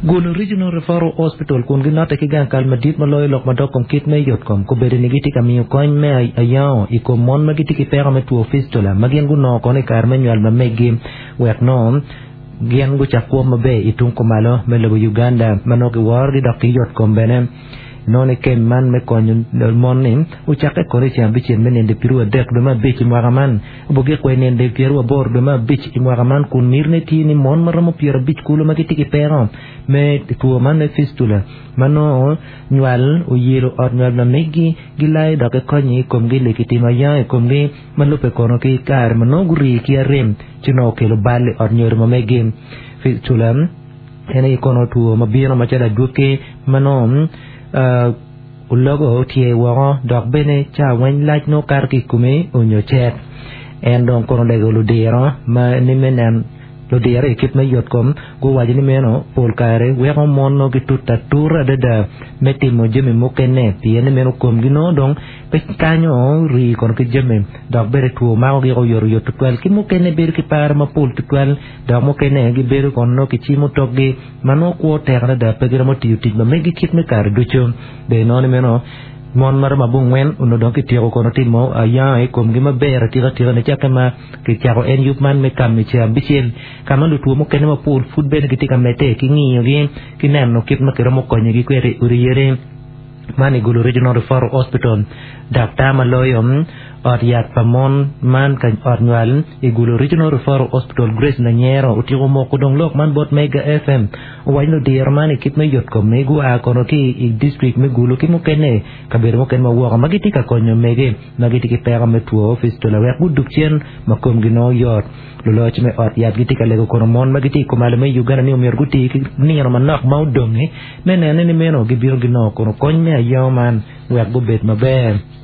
Gulu Regional Referral Hospital kun ginotte ki gang kal madit ma loyo lok madok kom kit me yotkom kobedo ni gitye ka miyo kony me ayango i kom mon ma gitye ki peko me two fistula ma gin gunongo kono i kare me nywal ma meggi wek nongo gin gucak kwo maber i tung kumalo me lobo Uganda ma nongo giworogi dok ki yotkom bene. Nongo ni kem man me konyo mon-ni ocakke kono i ceng abicel me ninde pyeruadek dwe me abic i mwaka man, obogik wa i ninde pyeruaboro dwe me abic i mwaka man kun mitine tye ni mon ma romo pyerabic kulu ma gitye ki peko me two man me fistula ma nongo nywal oyelo ot nywal ma megi gilayo dok gikonyo i komgi li kitimo ayango i komgi ma lubbe kono ki kare ma nongo gurii ki arem ci nongo okelo bal i ot nyodo ma megi. Fistula En aye kono two ma bino macalo adwogi ma nongo ologo tye woko dok bene ca weng lac nongo kato ki i kome onyo cet. En dong kono olego ludiro ma ni me nen ludiro i kit me yotkom guwaco ni meno pol kare weko mon nongo gitute atura adada me timo jami mukene pien ni meno komgi nongo dong pe kanyo rii kono ki jami dok bene two makogi oyotoyot tutwal ki mukene bedo ki par mapol tutwal. Dok mukene gibedo kono nongo kicimo tokgi ma nongo kwo tek adada pe giromo tiyo tic ma megi kit me kare ducu. Ber inongo ni meno mon ma romo abongwen onongo dong kityeko kono timo ayango i komgi maber atika tika nicakke ma kicako en yub man me kam i ceng abicel ka ma lutwo mukene mapol pud bene gitye ka medde ki ngiyogi ki neno kit ma kiromo konyogi kwede i odi yadi. Man i Gulu Regional Referral Hospital, Daktar ma loyo ot yat pa mon man ka ot nywal i Gulu Regional Referral Hospital Grace Nanyero otyeko moko dong lok man bot Mega FM. Owaco ni odiro man i kit me yotkom ni gua kono ki i district me Gulu ki mukene kabedo mukene ma woko ma gitye ka konyo mege ma gitye ki peko me two fistula wek gudug cen ma komgi nongo yot. Luloc me ot yat gitye ka lego kono mon ma gitye i kumalo me Uganda ni omyero guti ki nino manok ma odongi me nene ni meno gibino ginongo kono kony me ayango man wek gubed maber.